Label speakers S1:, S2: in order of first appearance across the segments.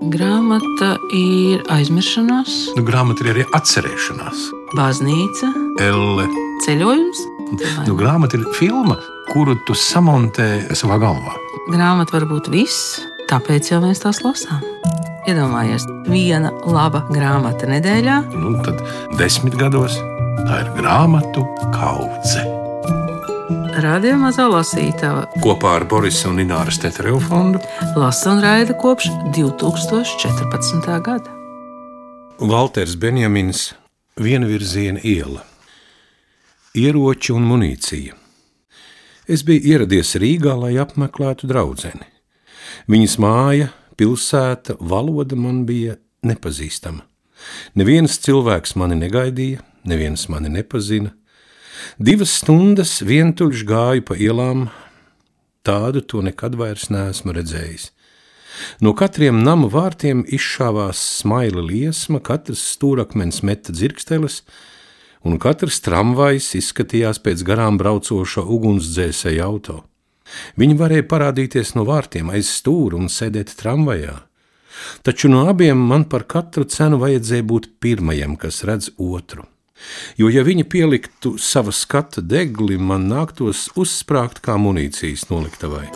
S1: Grāmata ir aizmiršanās,
S2: Grāmata ir arī atcerēšanās.
S1: baznīca,
S2: Elle.
S1: ceļojums.
S2: Grāmata ir filma, kuru tu samontē savā galvā.
S1: Grāmata var būt viss, tāpēc jau mēs tās lasām. Iedomājies, viena laba grāmata nedēļā.
S2: Tad 10 gados tā ir grāmatu kaudze.
S1: Radio Mazā lasītava
S2: Kopā ar Borisa un Ināras Tetereva fondu
S1: lasa un raida kopš 2014. gada.
S2: Valters Benjamins, Vienvirziena iela. Ieroči un munīcija. Es biju ieradies Rīgā, lai apmeklētu draudzeni. Viņas māja, pilsēta, valoda man bija nepazīstama. Neviens cilvēks mani negaidīja, neviens mani nepazina. 2 stundas vientuļš gāju pa ielām, tādu to nekad vairs neesmu redzējis. No katriem nama vārtiem izšāvās smaila liesma, katrs stūrakmens meta dzirksteles, un katrs tramvajs izskatījās pēc garām braucoša ugunsdzēsēja auto. Viņi varēja parādīties no vārtiem aiz stūra un sēdēt tramvajā. Taču no abiem man par katru cenu vajadzēja būt pirmajam, kas redz otru. Jo, ja viņi pieliktu sava skata degli, man nāktos uzsprāgt kā munīcijas noliktavai.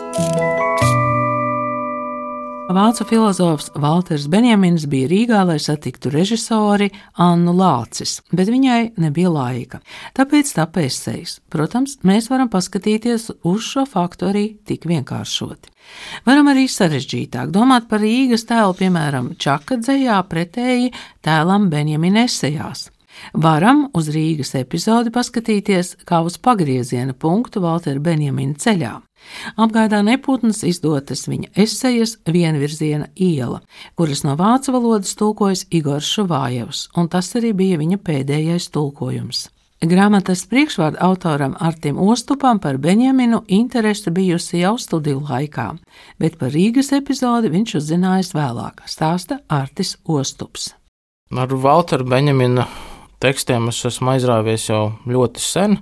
S1: Vācu filozofs Valters Benjamins bija Rīgā, lai satiktu režisori Annu Lācis, bet viņai nebija laika. Tāpēc tapa esejs. Protams, mēs varam paskatīties uz šo faktu arī tik vienkāršoti. Varam arī sarežģītāk domāt par Rīgas tēlu, piemēram, Čaka dzejā pretēji tēlam Benjamina esejās. Varam uz Rīgas epizodi paskatīties kā uz pagrieziena punktu Valtera Benjamina ceļā. Apgaidā neputnas izdotas viņa esejas Vienvirziena iela, kuras no vācu valodas tulkojas Igors Šuvājevs, un tas arī bija viņa pēdējais tulkojums. Grāmatas priekšvārda autoram Artim Ostupam par Benjaminu interese bijusi jau studiju laikā, bet par Rīgas epizodi viņš uzzinājis vēlāk, stāsta Artis Ostups.
S3: Ar Valtera Benjamina tekstiem es esmu aizrāvies jau ļoti sen.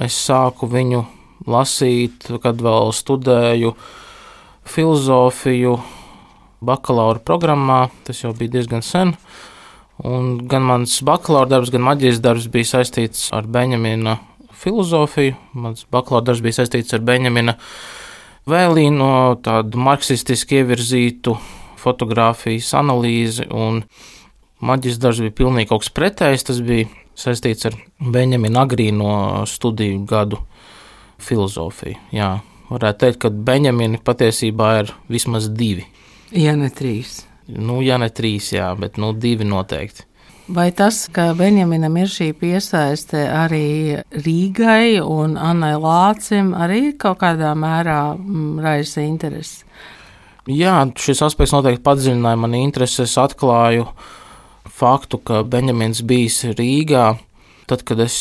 S3: Es sāku viņu lasīt, kad vēl studēju filozofiju bakalaura programmā. Tas jau bija diezgan sen. Un gan mans bakalaura darbs, gan maģistra darbs bija saistīts ar Benjamina filozofiju. Mans bakalaura darbs bija saistīts ar Benjamina vēlīnu, no tādu marksistiski ievirzītu fotogrāfijas analīzi, un maģistra darbs bija pilnīgi kaut kas pretējs. Tas bija saistīts ar Benjamina agrīno studiju gadu filozofiju. Jā, varētu teikt, ka Benjamini patiesībā ir vismaz 2.
S1: Ja ne 3.
S3: Ja ne 3, jā, bet 2 noteikti.
S1: Vai tas, ka Benjaminam ir šī piesaiste arī Rīgai un Annai Lācim, arī kaut kādā mērā raisa interesi?
S3: Jā, šis aspekts noteikti padziļināja mani intereses. Atklāju faktu, ka Benjamins bijis Rīgā, tad, kad es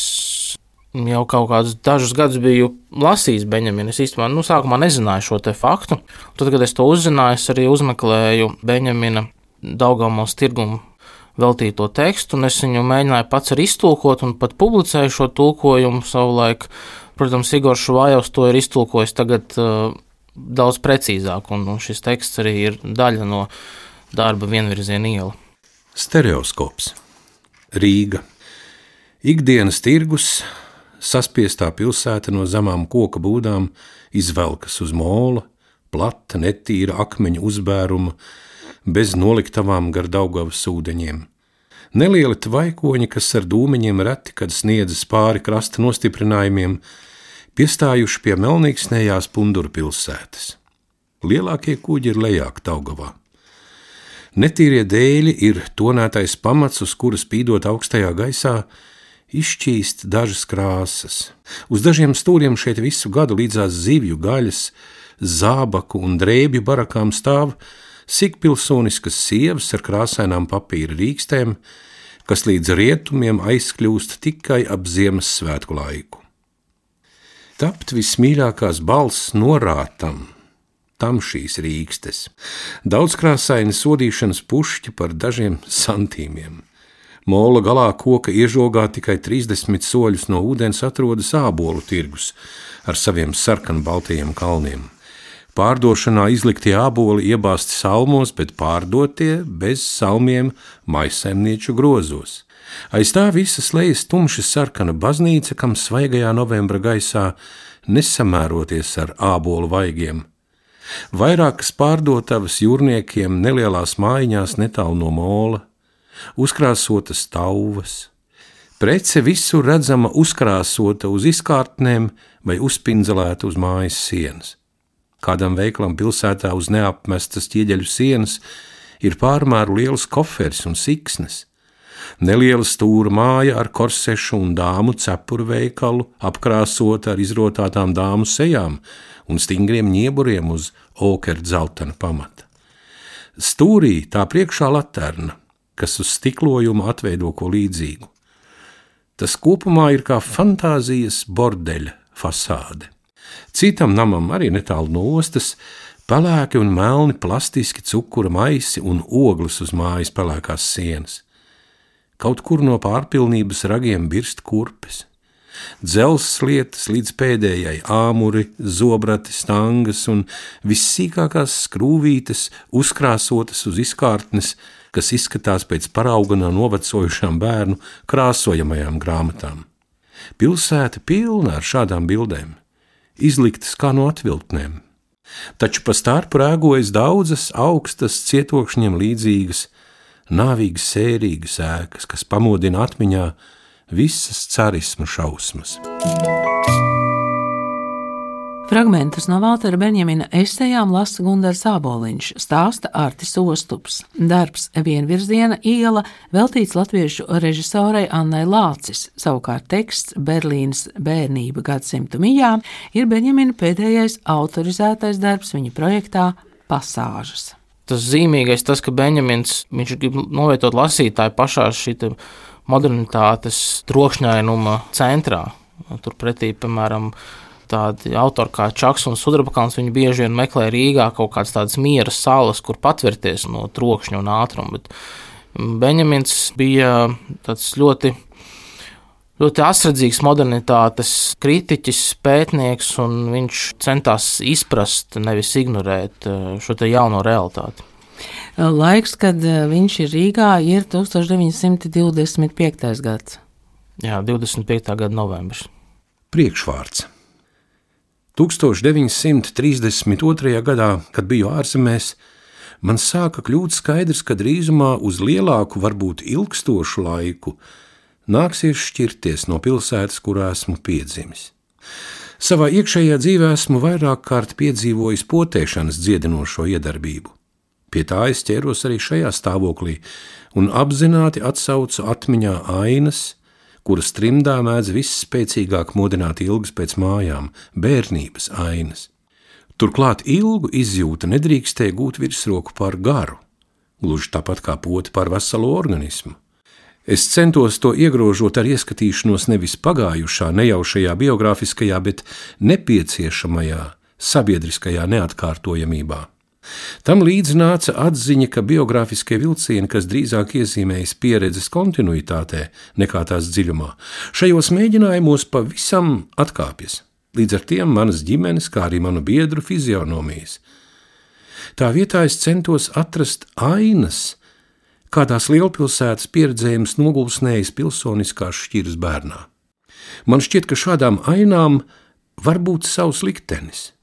S3: jau kaut kādus dažus gadus biju lasījis Benjaminu. Es īstenībā sākumā nezināju šo te faktu. Tad, kad es to uzzināju, es arī uzmeklēju Benjamina Daugavpils tirgumu veltīto tekstu, un es viņu mēģināju pats arī iztulkot un pat publicēju šo tulkojumu savulaik. Protams, Igors Šuvājevs to ir iztulkojis tagad daudz precīzāk, un šis teksts arī ir daļa no darba Vienvirziena iela.
S2: Stereoskops. Rīga. Ikdienas tirgus, saspiestā pilsēta no zemām koka būdām izvelkas uz mola, plata, netīra akmeņu uzbēruma, bez noliktavām gar Daugavas ūdeņiem. Nelieli tvaikoņi, kas ar dūmeņiem reti, kad sniedzas pāri krasta nostiprinājumiem, piestājuši pie melnīksnējās Punduru pilsētas. Lielākie kuģi ir lejāk Daugavā. Netīrie dēļi ir tonētais pamats, uz kura spīdot augstajā gaisā izšķīst dažas krāsas. Uz dažiem stūriem šeit visu gadu līdzās zivju, gaļas, zābaku un drēbju barakām stāv sikpilsoniskas sievas ar krāsainām papīra rīkstēm, kas līdz rietumiem aizkļūst tikai ap Ziemassvētku laiku. Tapt vismīļākās balss norātam, tam šīs rīkstes. Daudzkrāsaini sodīšanas pušķi par dažiem santīmiem. Mola galā koka iežogā tikai 30 soļus no ūdens atrodas ābolu tirgus ar saviem sarkanbaltajiem kalniem. Pārdošanā izliktie āboli iebāzti salmos, bet pārdotie bez salmiem maisaimnieču grozos. Aiz tā visa slējas tumši sarkana baznīca, kam svaigajā novembra gaisā nesamēroties ar ābolu vaigiem. Vairākas pārdotavas jūrniekiem nelielās mājiņās netālu no mola, uzkrāsotas tauvas. Prece visur redzama uzkrāsota uz izkārtnēm vai uzpindzelēta uz mājas sienas. Kādam veikalam pilsētā uz neapmestas ķieģeļu sienas ir pārmēru liels koferis un siksnes. Neliela stūra māja ar korsešu un dāmu cepuru veikalu, apkrāsota ar izrotātām dāmu sejām un stingriem ņieburiem uz okeļdzeltena pamata. Stūrī tā priekšā laterna, kas uz stiklojuma atveido ko līdzīgu. Tas kopumā ir kā fantāzijas bordeļa fasāde. Citam namam arī netālu no ostas pelēki un melni plastiski cukura maisi un ogles uz mājas pelēkās sienas. Kaut kur no pārpilnības ragiem birst kurpes. Dzelzs lietas līdz pēdējai āmuri, zobrati, stangas un vissīkākās skrūvītes uzkrāsotas uz izkārtnes, kas izskatās pēc parauga no novecojušām bērnu krāsojamajām grāmatām. Pilsēta pilna ar šādām bildēm, izliktas kā no atvilktnēm. Taču pa stārpu rēgojas daudzas augstas cietokšņiem līdzīgas, nāvīgas sērīgas ēkas, kas pamodina atmiņā visas carismu šausmas.
S1: Fragmentus no Valtera Benjamina esejām lasa Gundars Āboliņš, stāsta Artis Ostups. Darbs Vienvirziena iela veltīts latviešu režisorei Annai Lācis. Savukārt teksts Berlīnas bērnība gadsimtu mijā ir Benjamina pēdējais autorizētais darbs viņa projektā Pasāžas.
S3: Tas zīmīgais tas, ka Benjamins, viņš grib novietot lasītāju pašā šī modernitātes trokšņainuma centrā. Turpretī, piemēram, tādi autori kā Čaks un Sudrabakans, viņi bieži vien meklē Rīgā kaut kādas tādas miera salas, kur patvērties no trokšņa un ātruma, bet Benjamins bija tāds ļoti asredzīgs modernitātes kritiķis, pētnieks, un viņš centās izprast, nevis ignorēt šo te jauno realitāti.
S1: Laiks, kad viņš ir Rīgā, ir 1925. gads.
S3: Jā, 25. gada novembris.
S2: Priekšvārds. 1932. gadā, kad biju ārzemēs, man sāka kļūt skaidrs, ka drīzumā uz lielāku, varbūt ilgstošu laiku nāksies šķirties no pilsētas, kurā esmu piedzimis. Savā iekšējā dzīvē esmu vairāk kārt piedzīvojis potēšanas dziedinošo iedarbību. Pie tā es ķēros arī šajā stāvoklī un apzināti atsaucu atmiņā ainas, kuras trimdā mēdz visspēcīgāk modināt ilgas pēc mājām, bērnības ainas. Turklāt ilgu izjūta nedrīkstēja gūt virsroku pār garu, gluži tāpat kā poti pār veselu organismu. Es centos to iegrožot ar ieskatīšanos nevis pagājušā, nejaušajā biogrāfiskajā, bet nepieciešamajā, sabiedriskajā neatkārtojamībā. Tam līdz nāca atziņa, ka biogrāfiskie vilcieni, kas drīzāk iezīmējas pieredzes kontinuitātē nekā tās dziļumā, šajos mēģinājumos pavisam atkāpjas, līdz ar tiem manas ģimenes, kā arī manu biedru fizionomijas. Tā vietā es centos atrast ainas, kādās lielpilsētas pieredzējums nogulsnējas pilsoniskās šķiras bērnā. Man šķiet, ka šādām ainām var būt savs liktenis.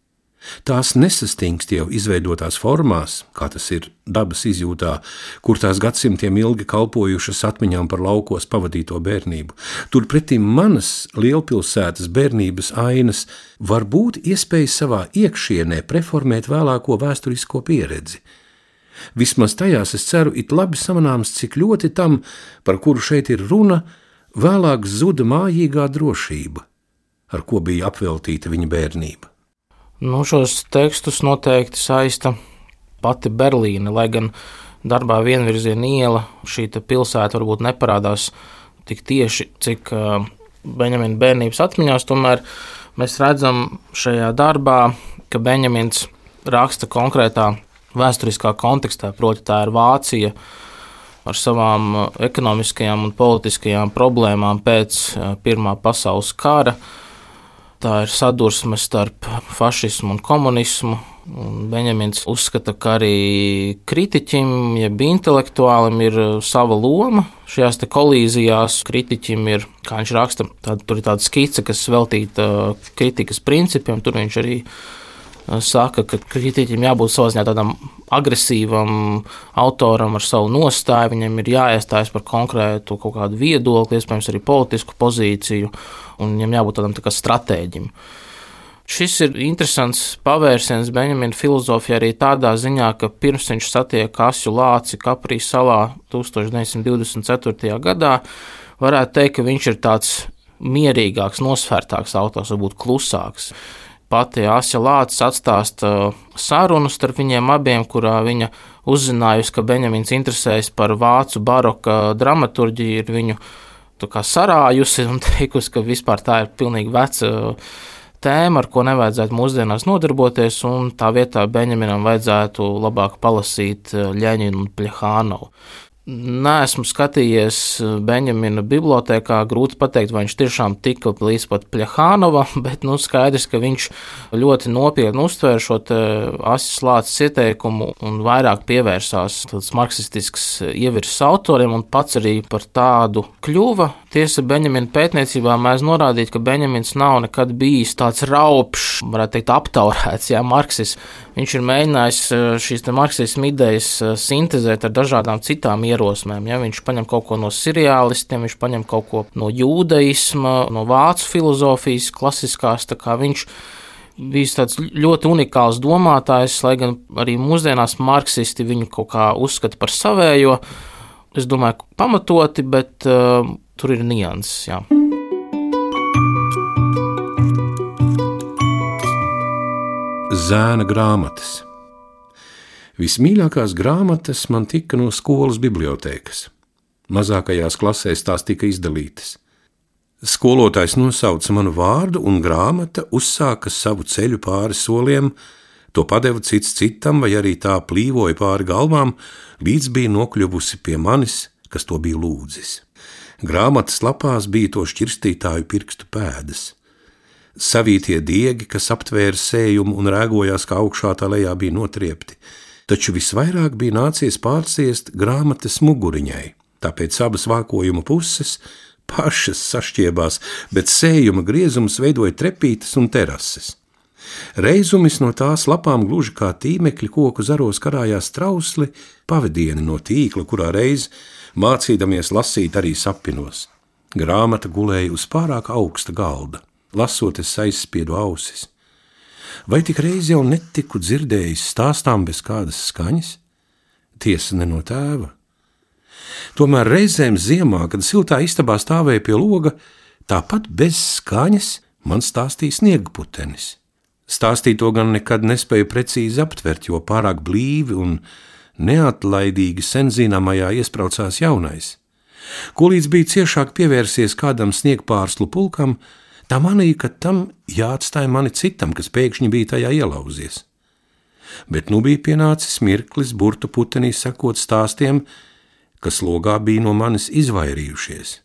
S2: Tās nesastingst jau izveidotās formās, kā tas ir dabas izjūtā, kur tās gadsimtiem ilgi kalpojušas atmiņām par laukos pavadīto bērnību. Turpretī manas lielpilsētas bērnības ainas var būt iespēja savā iekšienē preformēt vēlāko vēsturisko pieredzi. Vismaz tajās, es ceru, it labi samanāms, cik ļoti tam, par kuru šeit ir runa, vēlāk zuda mājīgā drošība, ar ko bija apveltīta viņa bērnība.
S3: Šos tekstus noteikti saista pati Berlīne, lai gan darbā Vienvirziena iela šī pilsēta varbūt neparādās tik tieši, cik Benjamina bērnības atmiņās, tomēr mēs redzam šajā darbā, ka Benjamins raksta konkrētā vēsturiskā kontekstā, proti tā ir Vācija ar savām ekonomiskajām un politiskajām problēmām pēc Pirmā pasaules kara. Tā ir sadursme starp fašismu un komunismu, Benjamins uzskata, ka arī kritiķim, jeb intelektuālim ir sava loma. Šajās kolīzijās kritiķim ir, kā viņš raksta, tur ir tāda skice, kas veltīta kritikas principiem. Tur viņš arī saka, ka kritiķim jābūt savā ziņā tādam agresīvam autoram ar savu nostāju. Viņam ir jāiestājas par konkrētu kaut kādu viedokli, iespējams arī politisku pozīciju, un viņam jābūt tādam tā kā stratēģim. Šis ir interesants pavērsiens Benjamina filozofijā arī tādā ziņā, ka pirms viņš satiek Asju Lāci Kaprī salā 1924. gadā, varētu teikt, ka viņš ir tāds mierīgāks, nosvērtāks autors, varbūt klusāks. Pati Asja Lācis atstāsta sarunu starp viņiem abiem, kurā viņa uzzinājusi, ka Benjamins interesējas par vācu baroka dramaturģiju, ir viņu tā kā sarājusi un teikusi, ka vispār tā ir pilnīgi veca tēma, ar ko nevajadzētu mūsdienās nodarboties, un tā vietā Benjaminam vajadzētu labāk palasīt Ļeņinu un Pļehānovu. Neesmu skatījies Benjamina bibliotēkā, grūti pateikt, vai viņš tiešām tika līdz pat Pļehānovam, bet skaidrs, ka viņš ļoti nopietni uztvēra šo Asjas Lācis ieteikumu un vairāk pievērsās tāds marksistisks ievirzes autoriem un pats arī par tādu kļuva. Tiesa, Benjamina pētniecībā mēs norādīt, ka Benjamins nav nekad bijis tāds raupšs, varētu teikt, aptaurēts, marksisms. Viņš ir mēģinājis šīs marksismu idejas sintezēt ar dažādām citām ierosmēm. Viņš paņem kaut ko no seriālistiem, viņš paņem kaut ko no jūdaisma, no vācu filozofijas klasiskās, tā kā viņš bijis tāds ļoti unikāls domātājs, lai gan arī mūsdienās marksisti viņu kaut kā uzskata par savējo. Es domāju, pamatoti, bet tur ir nianses, jā.
S2: Zēna grāmatas. Vismīļākās grāmatas man tika no skolas bibliotēkas. Mazākajās klasēs tās tika izdalītas. Skolotājs nosauca manu vārdu, un grāmata uzsāka savu ceļu pāri soliem, to padeva cits citam, vai arī tā plīvoja pāri galvām, līdz bija nokļuvusi pie manis, kas to bija lūdzis. Grāmatas lapās bija to šķirstītāju pirkstu pēdas. Savītie diegi, kas aptvēra sējumu un rēgojās, kā augšā tā lejā bija notriepti, taču visvairāk bija nācies pārciest grāmatas muguriņai, tāpēc abas vākojuma puses pašas sašķiebās, bet sējuma griezums veidoja trepītes un terases. Reizumis no tās lapām gluži kā tīmekļi koku zaros karājās trausli pavadieni no tīkla, kurā reiz mācīdamies lasīt arī sapinos. Grāmata gulēja uz pārāk augsta galda. Lasot, es aizspiedu ausis. Vai tik reiz jau netiku dzirdējis stāstām bez kādas skaņas? Tiesa ne no tēva. Tomēr reizēm ziemā, kad siltā istabā stāvēja pie loga, tāpat bez skaņas man stāstīja sniegputenis. Stāstīto gan nekad nespēju precīzi aptvert, jo pārāk blīvi un neatlaidīgi senzināmajā iespraucās jaunais. Ko līdz bija ciešāk pievērsies kādam sniegpārslu pulkam, tā manīja, ka tam jāatstāja mani citam, kas pēkšņi bija tajā ielauzies. Bet nu bija pienācis mirklis burtu putenī sekot stāstiem, kas logā bija no manis izvairījušies.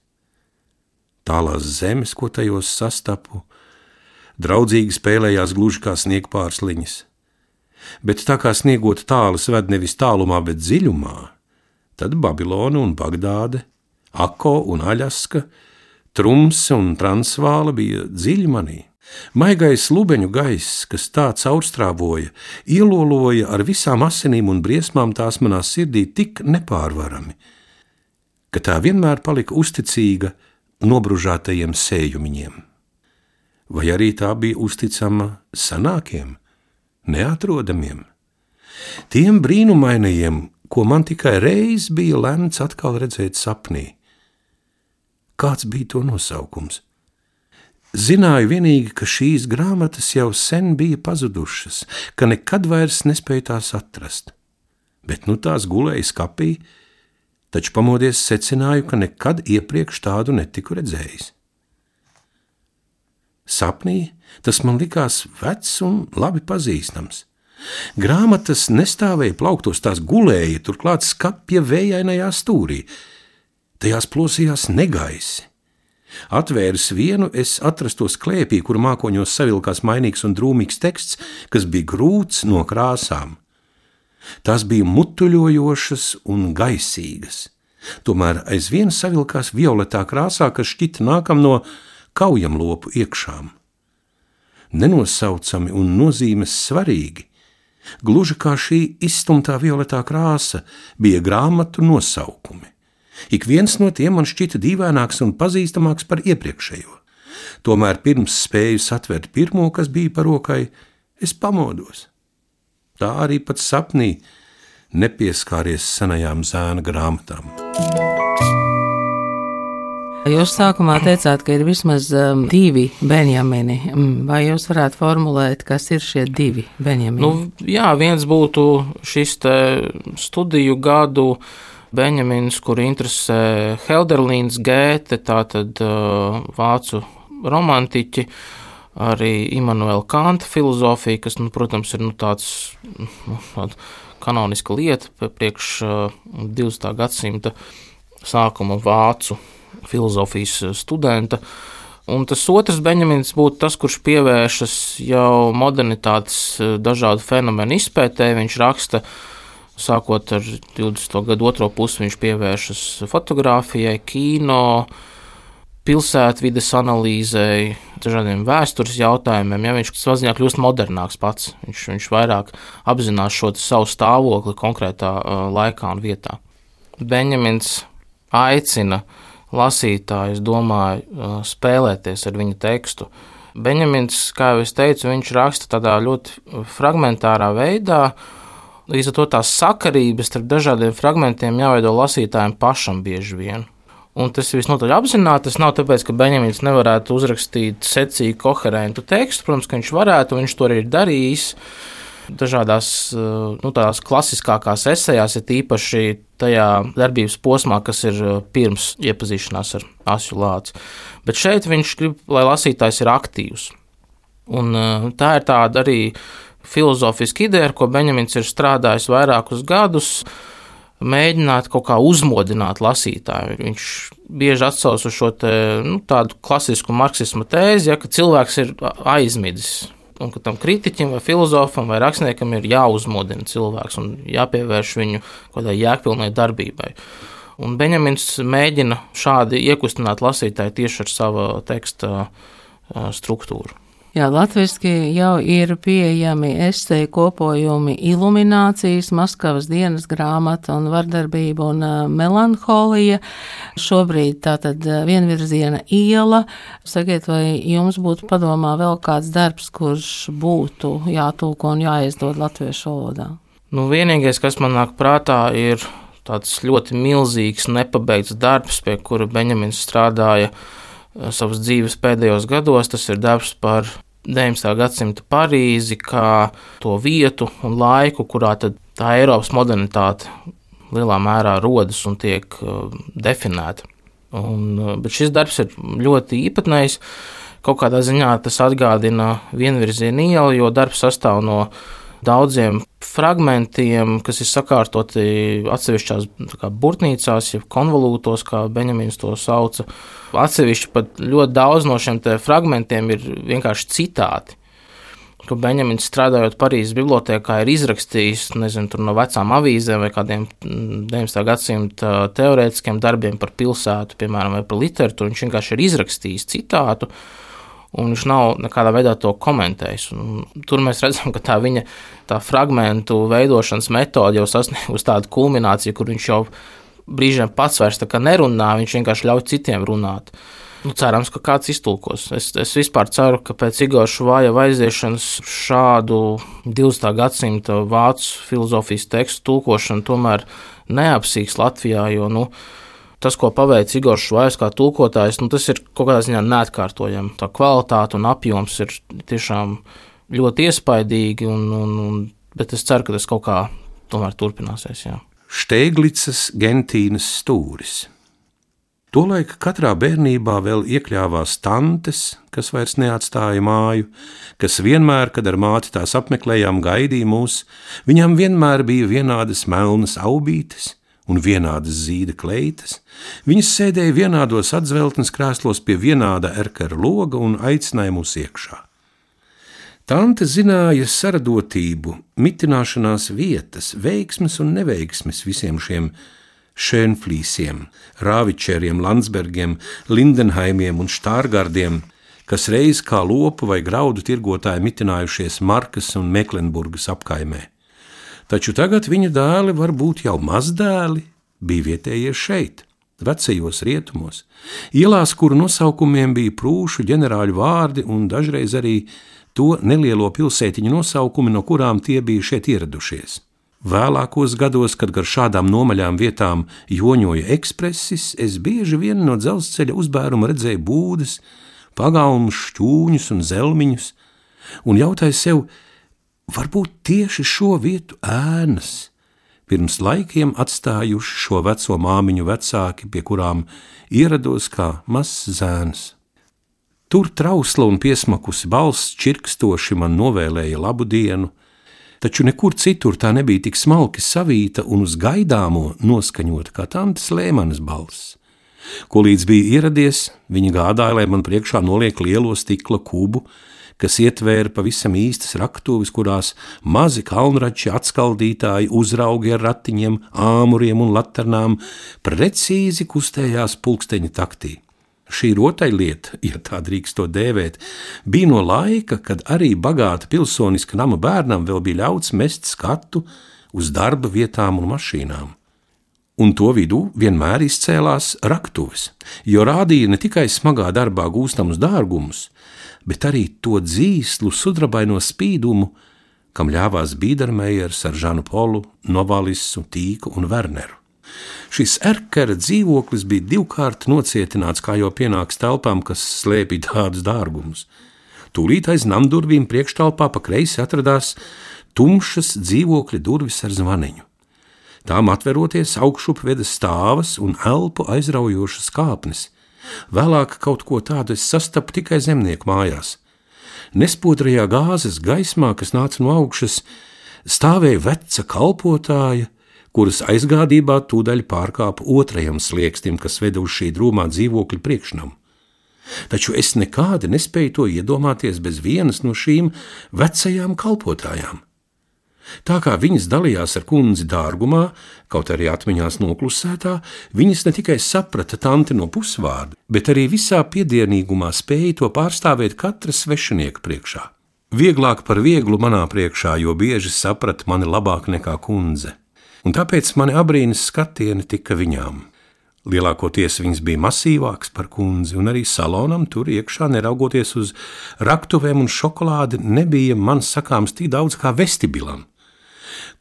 S2: Tālās zemes, ko tajos sastapu, draudzīgi spēlējās gluži kā sniegpārsliņas. Bet tā kā sniegot tālas ved nevis tālumā, bet dziļumā, tad Babilona un Bagdāde, Ako un Aļaska, Trumse un Transvāla bija dziļi manī. Maigais lubeņu gaiss, kas tā caurstrāvoja, ieloloja ar visām asinīm un briesmām tās manā sirdī tik nepārvarami, ka tā vienmēr palika uzticīga nobružātajiem sējumiņiem. Vai arī tā bija uzticama senākiem, neatrodamiem, tiem brīnumainajiem, ko man tikai reiz bija lemts atkal redzēt sapnī. Kāds bija to nosaukums? Zināju vienīgi, ka šīs grāmatas jau sen bija pazudušas, ka nekad vairs nespēju tās atrast. Bet nu tās gulēja skapī, taču pamodies secināju, ka nekad iepriekš tādu netiku redzējis. Sapnī tas man likās vecs un labi pazīstams. Grāmatas nestāvēja plauktos, tās gulēja, turklāt skapja vējainajā stūrī. Tajās plosījās negaisi. Atvēris vienu, es atrastos klēpī, kur mākoņos savilkās mainīgs un drūmīgs teksts, kas bija grūts no krāsām. Tās bija mutuļojošas un gaisīgas. Tomēr aizvien savilkās violetā krāsā, kas šķita nākam no kaujamlopu iekšām. Nenosaucami un nozīmes svarīgi, gluži kā šī izstumtā violetā krāsa, bija grāmatu nosaukumi. Ik viens no tiem man šķita dīvaināks un pazīstamāks par iepriekšējo. Tomēr pirms spēju satvert pirmo, kas bija par rokai, es pamodos. Tā arī pat sapnī nepieskāries senajām zēna grāmatām.
S1: Jūs sākumā teicāt, ka ir vismaz 2 Benjamini. Vai jūs varētu formulēt, kas ir šie 2 Benjamini?
S3: Jā, viens būtu šis te studiju gadu Benjamins, kur interesē Helderlīns, Gēte, tātad vācu romantiķi, arī Immanuela Kanta filozofija, kas, protams, ir tāda kanoniska lieta priekš 20. gadsimta sākuma vācu filozofijas studenta. Un tas otrs Benjamins būtu tas, kurš pievēršas jau modernitātes dažādu fenomenu izpētē. Viņš raksta, sākot ar 20. gadu otro pusi, viņš pievēršas fotogrāfijai, kino, pilsētvides analīzei, dažādiem vēstures jautājumiem. Ja, viņš savā ziņā kļūst modernāks pats. Viņš vairāk apzinās šo savu stāvokli konkrētā laikā un vietā. Benjamins aicina lasītāju, es domāju, spēlēties ar viņa tekstu. Benjamins, kā jau es teicu, viņš raksta tādā ļoti fragmentārā veidā. Līdz ar to tās sakarības starp dažādiem fragmentiem jāveido lasītājiem pašam bieži vien. Un tas ir visnotaļ apzināti. Tas nav tāpēc, ka Benjamins nevarētu uzrakstīt secīgu, koherentu tekstu. Protams, ka viņš varētu, un viņš to arī ir darījis. Dažādās tādās klasiskākās esejās, ir īpaši tajā darbības posmā, kas ir pirms iepazīšanās ar Asju Lāci. Bet šeit viņš grib, lai lasītājs ir aktīvs. Un tā ir tāda arī filozofiska ideja, ar ko Benjamins ir strādājis vairākus gadus, mēģināt kaut kā uzmodināt lasītāju. Viņš bieži atsauc uz šo tādu klasisku marksismu tēzi, ja, ka cilvēks ir aizmidzis, un ka tam kritiķim vai filozofam vai rakstniekam ir jāuzmodina cilvēks un jāpievērš viņu kādai jēgpilnai darbībai. Un Benjamins mēģina šādi iekustināt lasītāju tieši ar savu teksta struktūru.
S1: Jā, latviski jau ir pieejami eseju kopojumi Iluminācijas, Maskavas dienas grāmata un Vardarbība un melanholija. Šobrīd tātad Vienvirziena iela. Sakiet, vai jums būtu padomā vēl kāds darbs, kurš būtu jātulko un jāizdod latviešu valodā?
S3: Vienīgais, kas man nāk prātā, ir tāds ļoti milzīgs, nepabeigts darbs, pie kura Benjamins strādāja savas dzīves pēdējos gados. Tas ir darbs par 19. gadsimta Parīzi, kā to vietu un laiku, kurā tad tā Eiropas modernitāte lielā mērā rodas un tiek definēta. Bet šis darbs ir ļoti īpatnējs. Kaut kādā ziņā tas atgādina Vienvirziena ielu, jo darbs sastāv no daudziem fragmentiem, kas ir sakārtoti atsevišķās burtnīcās, jeb konvolūtos, kā Benjamins to sauca. Atsevišķi pat ļoti daudz no šiem fragmentiem ir vienkārši citāti, ko Benjamins strādājot Parīzes bibliotēkā ir izrakstījis, tur no vecām avīzēm vai kādiem 19. gadsimta teorētiskiem darbiem par pilsētu, piemēram, vai par literatūru. Viņš vienkārši ir izrakstījis citātu, un viņš nav nekādā veidā to komentējis. Tur mēs redzam, ka tā viņa fragmentu veidošanas metode jau sasniegusi tādu kulmināciju, kur viņš jau brīžiem pats vairs nerunā, viņš vienkārši ļauj citiem runāt. Cerams, ka kāds iztulkos. Es vispār ceru, ka pēc Igora Šuvājeva aiziešanas šādu 20. gadsimta vācu filozofijas tekstu tulkošanu tomēr neapsīks Latvijā, jo tas, ko paveic Igors Šuvājevs kā tulkotājs, tas ir kaut kādā ziņā neatkārtojami. Tā kvalitāte un apjoms ir tiešām ļoti iespaidīgi, bet es ceru, ka tas kaut kā tomēr turpināsies. Jā.
S2: Štēglicas Gentīnas stūris. Tolaik katrā bērnībā vēl iekļāvās tantes, kas vairs neatstāja māju, kas vienmēr, kad ar māti tās apmeklējām, gaidīja mūs. Viņām vienmēr bija vienādas melnas aubītes un vienādas zīda kleitas, viņas sēdēja vienādos atzveltnes krēslos pie vienāda erkera loga un aicināja mūs iekšā. Tante zināja saradotību, mitināšanās vietas, veiksmes un neveiksmes visiem šiem Schönflīsiem, Rāvičeriem, Landsbergiem, Lindenhaimiem un Štārgardiem, kas reiz kā lopu vai graudu tirgotāji mitinājušies Markas un Meklenburgas apkaimē. Taču tagad viņa dēli, varbūt jau mazdēli, bija vietējie šeit, vecajos rietumos, ielās, kuru nosaukumiem bija prūšu ģenerāļu vārdi un dažreiz arī to nelielo pilsētiņu nosaukumi, no kurām tie bija šeit ieradušies. Vēlākos gados, kad gar šādām nomaļām vietām joņoja ekspresis, es bieži vien no dzelzceļa uzbēruma redzēju būdes, pagalmus, šķūņus un zelmiņus, un jautāju sev, varbūt tieši šo vietu ēnas pirms laikiem atstājuši šo veco māmiņu vecāki, pie kurām ierados kā mazs zēns. Tur trausla un piesmakusi balss čirkstoši man novēlēja labu dienu, taču nekur citur tā nebija tik smalki savīta un uz gaidāmo noskaņota kā tantes Lēmanes balss. Ko līdz bija ieradies, viņa gādāja, lai man priekšā noliek lielo stikla kubu, kas ietvēra pavisam īstas raktuves, kurās mazi kalnrači atskaldītāji uzraugi ar ratiņiem, āmuriem un laternām precīzi kustējās pulksteņa taktī. Šī rotaļlieta, ja tā drīkst to dēvēt, bija no laika, kad arī bagāta pilsoniska nama bērnam vēl bija ļauts mest skatu uz darba vietām un mašīnām. Un to vidū vienmēr izcēlās raktuves, jo rādīja ne tikai smagā darbā gūstamus dārgumus, bet arī to dzīslu sudrabaino spīdumu, kam ļāvās Bīdermejers ar Žanu Polu, Novalisu, Tīku un Werneru. Šis erkera dzīvoklis bija divkārt nocietināts, kā jau pienāks telpām, kas slēpja tādus dārgumus. Tūlīt aiz namdurvīm priekštalpā pa kreisi atradās tumšas dzīvokļa durvis ar zvaniņu. Tām atveroties augšup veda stāvas un elpu aizraujošas kāpnes. Vēlāk kaut ko tādu es sastapu tikai zemnieku mājās. Nespodrajā gāzes gaismā, kas nāca no augšas, stāvēja veca kalpotāja, kuras aizgādībā tūdaļ pārkāpa otrajam sliekstim, kas veda uz šī drūmā dzīvokļa priekšnamu. Taču es nekādi nespēju to iedomāties bez vienas no šīm vecajām kalpotājām. Tā kā viņas dalījās ar kundzi dārgumā, kaut arī atmiņās noklusētā, viņas ne tikai saprata tanti no pusvārda, bet arī visā piedienīgumā spēja to pārstāvēt katra svešinieka priekšā. Vieglāk par vieglu manā priekšā, jo bieži saprata mani labāk nekā kundze, un tāpēc mani abrīnas skatieni tika viņām. Lielākoties viņas bija masīvāks par kundzi, un arī salonam tur iekšā, neraugoties uz raktuvēm un šokolādi, nebija man sakāms tik daudz kā vestibilam,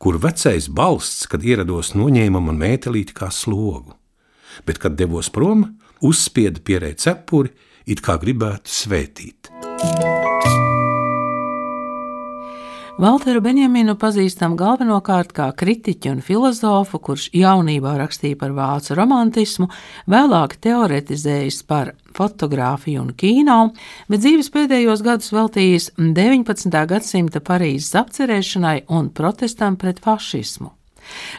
S2: kur vecais balsts, kad ierados, noņēma man mētelīti kā slogu, bet, kad devos prom, uzspieda pierē cepuri, it kā gribētu svētīt.
S1: Valteru Benjaminu pazīstam galvenokārt kā kritiķu un filozofu, kurš jaunībā rakstīja par vācu romantismu, vēlāk teoretizējis par fotogrāfiju un kino, bet dzīves pēdējos gadus veltījis 19. gadsimta Parīzes apcerēšanai un protestam pret fašismu.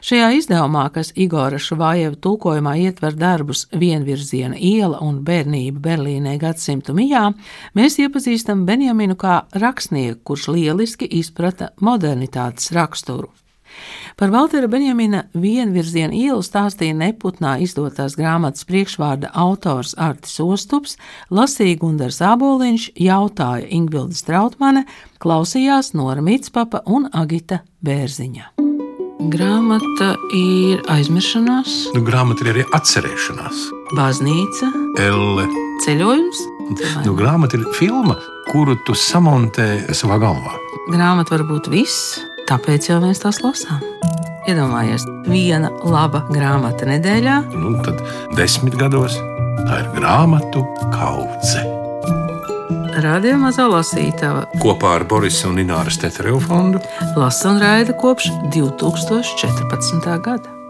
S1: Šajā izdevumā, kas Igora Šuvājeva tulkojumā ietver darbus Vienvirziena iela un Bērnība Berlīnē gadsimtu mijā, mēs iepazīstam Benjaminu kā rakstnieku, kurš lieliski izprata modernitātes raksturu. Par Valtera Benjamina Vienvirziena ielu stāstīja Neputnā izdotās grāmatas priekšvārda autors Artis Ostups, lasīja Gundars Āboliņš, jautāja Ingvilde Strautmane, klausījās Nora Mitspapa un Agita Bērziņa. Grāmata ir aizmiršanās.
S2: Grāmata ir arī atcerēšanās.
S1: Baznīca.
S2: Elle.
S1: Ceļojums.
S2: Grāmata ir filma, kuru tu samontē savā galvā.
S1: Grāmata var būt viss, tāpēc jau mēs tās lasām. Iedomājies, viena laba grāmata nedēļā.
S2: Tad 10 gados tā ir grāmatu kaudze.
S1: Radio Mazā lasītava
S2: kopā ar Borisa un Ināras Teterevu fondu
S1: lasa un raida kopš 2014. gada.